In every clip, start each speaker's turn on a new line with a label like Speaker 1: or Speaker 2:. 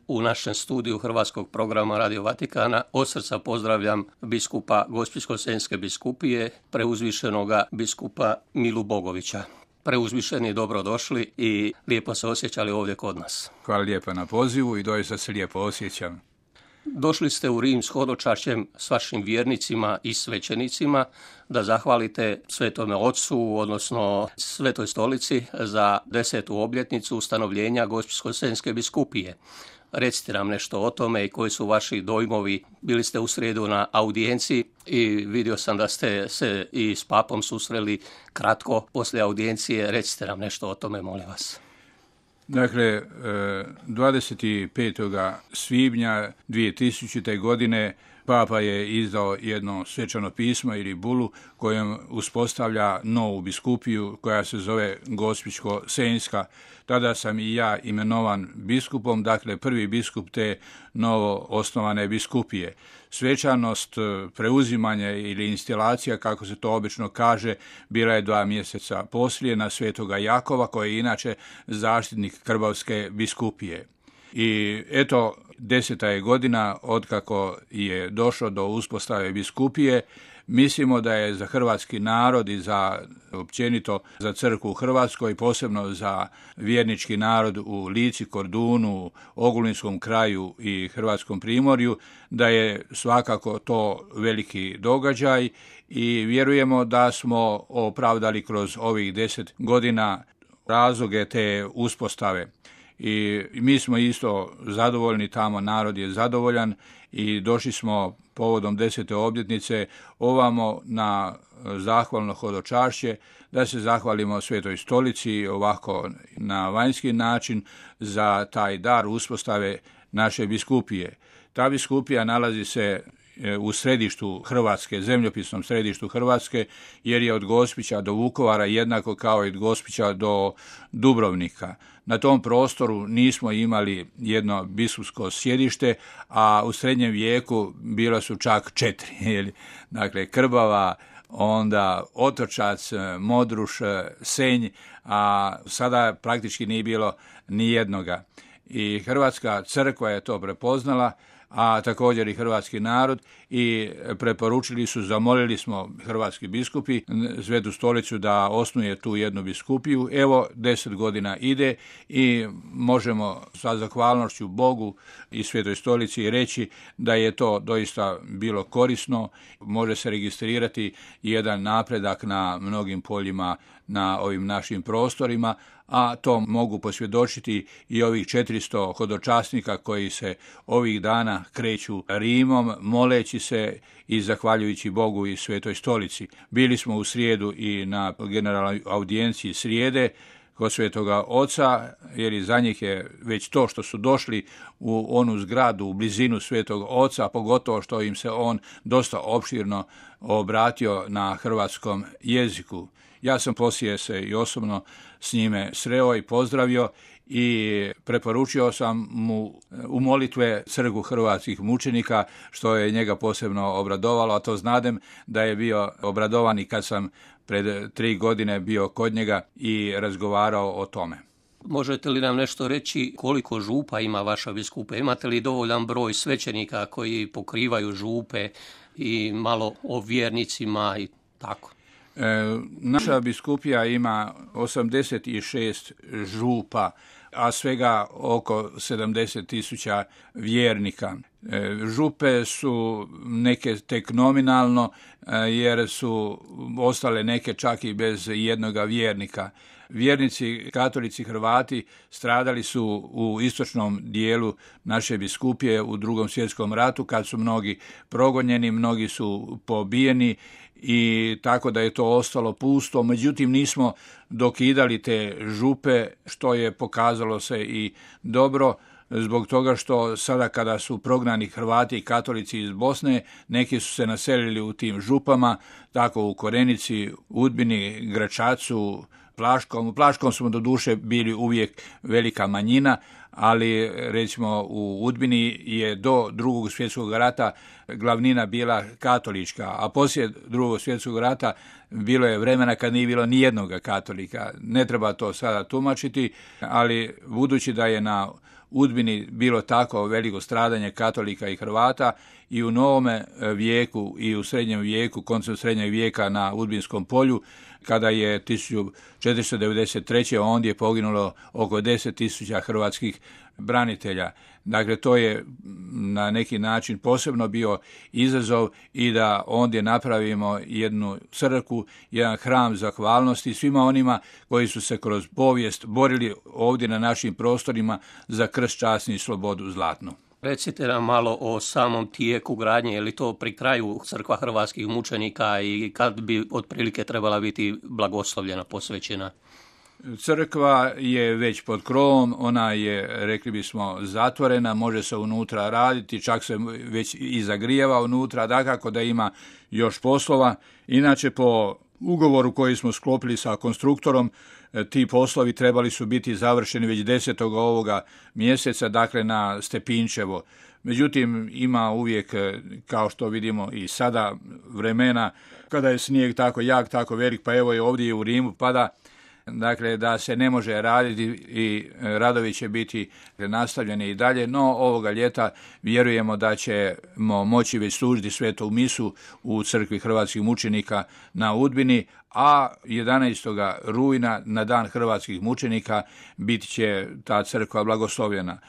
Speaker 1: u našem studiju Hrvatskog programa Radio Vatikana. Od srca pozdravljam biskupa Gospićko-senjske biskupije, preuzvišenoga biskupa Milu Bogovića. Preuzvišeni, dobrodošli i lijepo se osjećali ovdje kod nas.
Speaker 2: Hvala lijepo na pozivu i doista se lijepo osjećam.
Speaker 1: Došli ste u Rim s hodočašćem s vašim vjernicima i svećenicima da zahvalite Svetome Ocu, odnosno Svetoj Stolici za 10. obljetnicu ustanovljenja Gospićko-senjske biskupije. Recite nam nešto o tome i koji su vaši dojmovi. Bili ste u srijedu na audijenciji i vidio sam da ste se i s papom susreli kratko poslije audijencije. Recite nam nešto o tome, molim vas.
Speaker 2: Dakle, 25. svibnja 2000. godine Papa je izdao jedno svečano pismo ili bulu kojom uspostavlja novu biskupiju koja se zove Gospićko-senjska. Tada sam i ja imenovan biskupom, dakle prvi biskup te novo osnovane biskupije. Svečanost preuzimanja ili instalacija, kako se to obično kaže, bila je 2 mjeseca poslije na Svetoga Jakova, koji je inače zaštitnik Krbavske biskupije. I eto, 10. je godina otkako je došlo do uspostave biskupije. Mislimo da je za hrvatski narod i za općenito za crkvu u Hrvatskoj, posebno za vjernički narod u Lici, Kordunu, Ogulinskom kraju i Hrvatskom primorju, da je svakako to veliki događaj i vjerujemo da smo opravdali kroz ovih 10 godina razloge te uspostave. I mi smo isto zadovoljni, tamo narod je zadovoljan i došli smo povodom 10. obljetnice ovamo na zahvalno hodočašće, da se zahvalimo Svetoj Stolici ovako na vanjski način za taj dar uspostave naše biskupije. Ta biskupija nalazi se u središtu Hrvatske, zemljopisnom središtu Hrvatske, jer je od Gospića do Vukovara jednako kao i od Gospića do Dubrovnika. Na tom prostoru nismo imali jedno biskupsko sjedište, a u srednjem vijeku bilo su čak 4. Dakle, Krbava, onda Otočac, Modruš, Senj, a sada praktički nije bilo ni jednoga. I Hrvatska crkva je to prepoznala, a također i hrvatski narod, i preporučili su, zamolili smo hrvatski biskupi Svetu Stolicu da osnuje tu jednu biskupiju. Evo, 10 godina ide i možemo sa zahvalnošću Bogu i Svetoj Stolici reći da je to doista bilo korisno. Može se registrirati jedan napredak na mnogim poljima na ovim našim prostorima, a to mogu posvjedočiti i ovih 400 hodočasnika koji se ovih dana kreću Rimom, moleći se i zahvaljujući Bogu i Svetoj Stolici. Bili smo u srijedu i na generalnoj audijenciji srijede kod Svetoga Oca, jer i za njih je već to što su došli u onu zgradu u blizinu Svetog Oca, pogotovo što im se on dosta opširno obratio na hrvatskom jeziku. Ja sam poslije se i osobno s njime sreo i pozdravio i preporučio sam mu u molitve crkvu hrvatskih mučenika, što je njega posebno obradovalo, a to znadem da je bio obradovan i kad sam pred 3 godine bio kod njega i razgovarao o tome.
Speaker 1: Možete li nam nešto reći koliko župa ima vaša biskupa? Imate li dovoljan broj svećenika koji pokrivaju župe i malo o vjernicima i tako?
Speaker 2: Naša biskupija ima 86 župa, a svega oko 70.000 vjernika. Župe su neke tek nominalno, jer su ostale neke čak i bez jednoga vjernika. Vjernici, katolici, Hrvati stradali su u istočnom dijelu naše biskupije u Drugom svjetskom ratu, kad su mnogi progonjeni, mnogi su pobijeni, i tako da je to ostalo pusto. Međutim, nismo dokidali te župe, što je pokazalo se i dobro, zbog toga što sada kada su prognani Hrvati i katolici iz Bosne, neki su se naselili u tim župama, tako u Korenici, Udbini, Gračacu, Plaškom. U Plaškom smo do duše bili uvijek velika manjina, ali recimo u Udbini je do Drugog svjetskog rata glavnina bila katolička, a poslije Drugog svjetskog rata bilo je vremena kad nije bilo ni jednoga katolika. Ne treba to sada tumačiti, ali budući da je na Udbini bilo tako veliko stradanje katolika i Hrvata i u novome vijeku i u srednjem vijeku, koncem srednjeg vijeka na Udbinskom polju, kada je 1493. ondje poginulo oko 10.000 hrvatskih branitelja. Dakle, to je na neki način posebno bio izazov i da ondje napravimo jednu crkvu, jedan hram zahvalnosti svima onima koji su se kroz povijest borili ovdje na našim prostorima za krst, časni i slobodu zlatnu.
Speaker 1: Recite nam malo o samom tijeku gradnje, je li to pri kraju crkva hrvatskih mučenika i kad bi otprilike trebala biti blagoslovljena, posvećena?
Speaker 2: Crkva je već pod krovom, ona je, rekli bismo, zatvorena, može se unutra raditi, čak se već i zagrijeva unutra, dakako da ima još poslova. Inače, po ugovoru koji smo sklopili sa konstruktorom, ti poslovi trebali su biti završeni već 10. ovoga mjeseca, dakle na Stepinčevo. Međutim, ima uvijek, kao što vidimo i sada, vremena kada je snijeg tako jak, tako velik, pa evo i ovdje u Rimu pada, dakle da se ne može raditi i radovi će biti nastavljeni i dalje, no ovoga ljeta vjerujemo da ćemo moći već služiti svetu misu u crkvi hrvatskih mučenika na Udbini, a 11. rujna na dan hrvatskih mučenika bit će ta crkva blagoslovljena.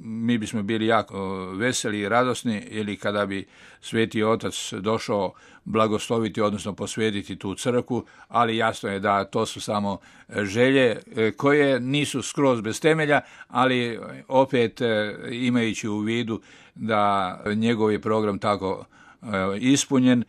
Speaker 2: Mi bismo bili jako veseli i radosni ili kada bi Sveti Otac došao blagosloviti, odnosno posvetiti tu crkvu, ali jasno je da to su samo želje koje nisu skroz bez temelja, ali opet imajući u vidu da njegov je program tako ispunjen,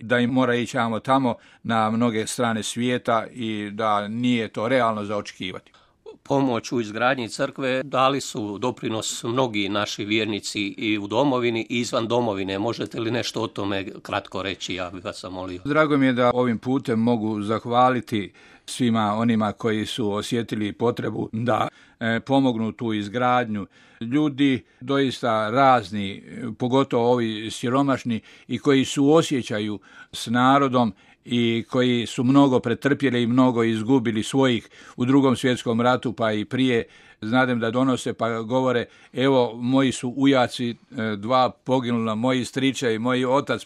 Speaker 2: da im mora ići tamo na mnoge strane svijeta i da nije to realno za očekivati.
Speaker 1: Pomoć u izgradnji crkve dali su doprinos mnogi naši vjernici i u domovini i izvan domovine. Možete li nešto o tome kratko reći? Ja bih vas molio.
Speaker 2: Drago mi je da ovim putem mogu zahvaliti svima onima koji su osjetili potrebu da pomognu tu izgradnju. Ljudi doista razni, pogotovo ovi siromašni i koji suosjećaju s narodom i koji su mnogo pretrpjeli i mnogo izgubili svojih u Drugom svjetskom ratu pa i prije. Znadem da donose pa govore, evo moji su ujaci, 2 poginula, moji stričevi, moj otac,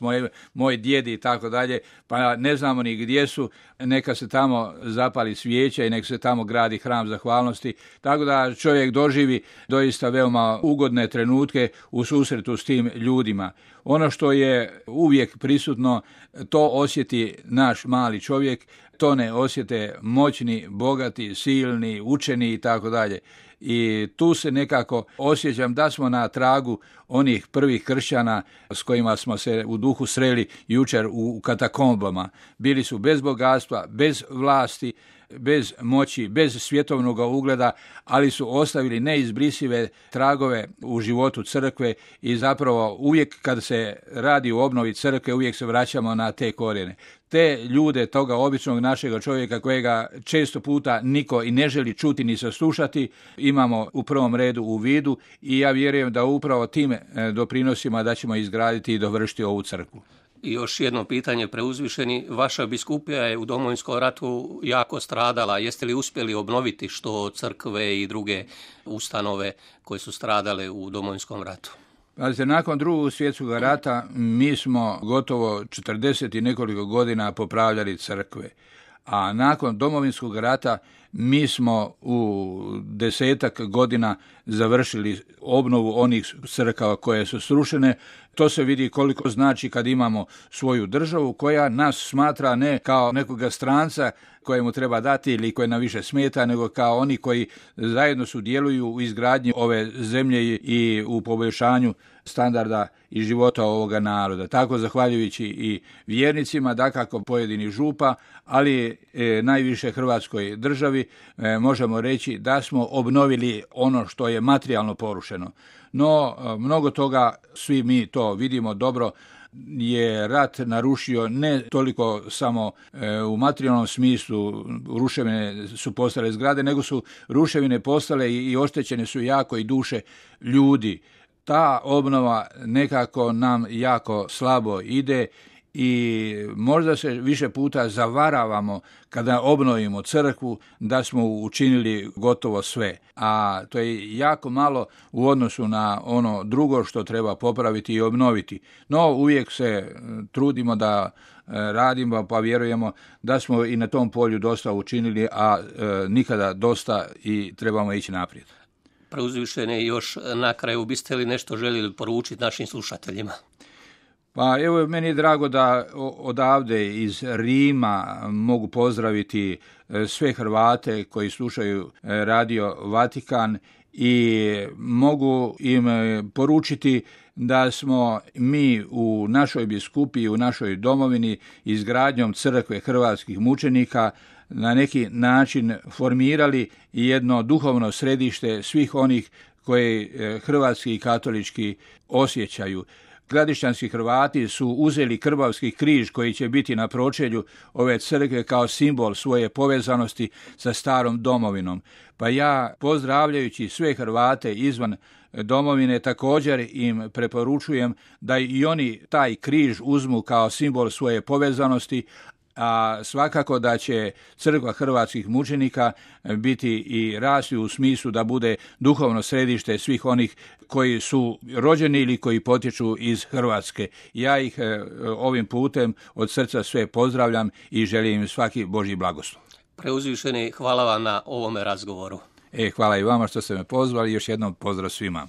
Speaker 2: moj djed i tako dalje, pa ne znamo ni gdje su, neka se tamo zapali svijeća i neka se tamo gradi hram zahvalnosti, tako da čovjek doživi doista veoma ugodne trenutke u susretu s tim ljudima. Ono što je uvijek prisutno, to osjeti naš mali čovjek, to ne osjete moćni, bogati, silni, učeni i tako dalje. I tu se nekako osjećam da smo na tragu onih prvih kršćana s kojima smo se u duhu sreli jučer u katakombama. Bili su bez bogatstva, bez vlasti, bez moći, bez svjetovnog ugleda, ali su ostavili neizbrisive tragove u životu crkve i zapravo uvijek kad se radi o obnovi crkve uvijek se vraćamo na te korijene. Te ljude, toga običnog našega čovjeka kojega često puta niko i ne želi čuti ni saslušati, imamo u prvom redu u vidu i ja vjerujem da upravo tim doprinosima da ćemo izgraditi i dovršiti ovu crkvu.
Speaker 1: I još jedno pitanje, preuzvišeni, vaša biskupija je u Domovinskom ratu jako stradala. Jeste li uspjeli obnoviti što crkve i druge ustanove koje su stradale u Domovinskom ratu?
Speaker 2: Nakon Drugog svjetskog rata mi smo gotovo 40 i nekoliko godina popravljali crkve, a nakon Domovinskog rata mi smo u 10 godina završili obnovu onih crkava koje su srušene. To se vidi koliko znači kad imamo svoju državu koja nas smatra ne kao nekoga stranca kojemu treba dati ili koje nam više smeta, nego kao oni koji zajedno sudjeluju u izgradnji ove zemlje i u poboljšanju standarda i života ovoga naroda. Tako zahvaljujući i vjernicima, dakako pojedinih župa, ali najviše Hrvatskoj državi možemo reći da smo obnovili ono što je materijalno porušeno. No, mnogo toga, svi mi to vidimo dobro, je rat narušio ne toliko samo u materijalnom smislu, ruševine su postale zgrade, nego su ruševine postale i oštećene su jako i duše ljudi. Ta obnova nekako nam jako slabo ide i možda se više puta zavaravamo kada obnovimo crkvu da smo učinili gotovo sve, a to je jako malo u odnosu na ono drugo što treba popraviti i obnoviti. No uvijek se trudimo da radimo, pa vjerujemo da smo i na tom polju dosta učinili, a nikada dosta i trebamo ići naprijed.
Speaker 1: Preuzvišeni, još na kraju biste li nešto željeli poručiti našim slušateljima?
Speaker 2: Pa evo, meni je drago da odavde iz Rima mogu pozdraviti sve Hrvate koji slušaju Radio Vatikan i mogu im poručiti da smo mi u našoj biskupiji, u našoj domovini izgradnjom crkve hrvatskih mučenika na neki način formirali jedno duhovno središte svih onih koji hrvatski i katolički osjećaju. Gradišćanski Hrvati su uzeli Krbavski križ koji će biti na pročelju ove crkve kao simbol svoje povezanosti sa starom domovinom. Pa ja, pozdravljajući sve Hrvate izvan domovine, također im preporučujem da i oni taj križ uzmu kao simbol svoje povezanosti, a svakako da će crkva hrvatskih mučenika biti i rasti u smislu da bude duhovno središte svih onih koji su rođeni ili koji potječu iz Hrvatske. Ja ih ovim putem od srca sve pozdravljam i želim im svaki Božji blagoslov.
Speaker 1: Preuzvišeni, hvala vam na ovome razgovoru.
Speaker 2: Hvala i vama što ste me pozvali, još jednom pozdrav svima.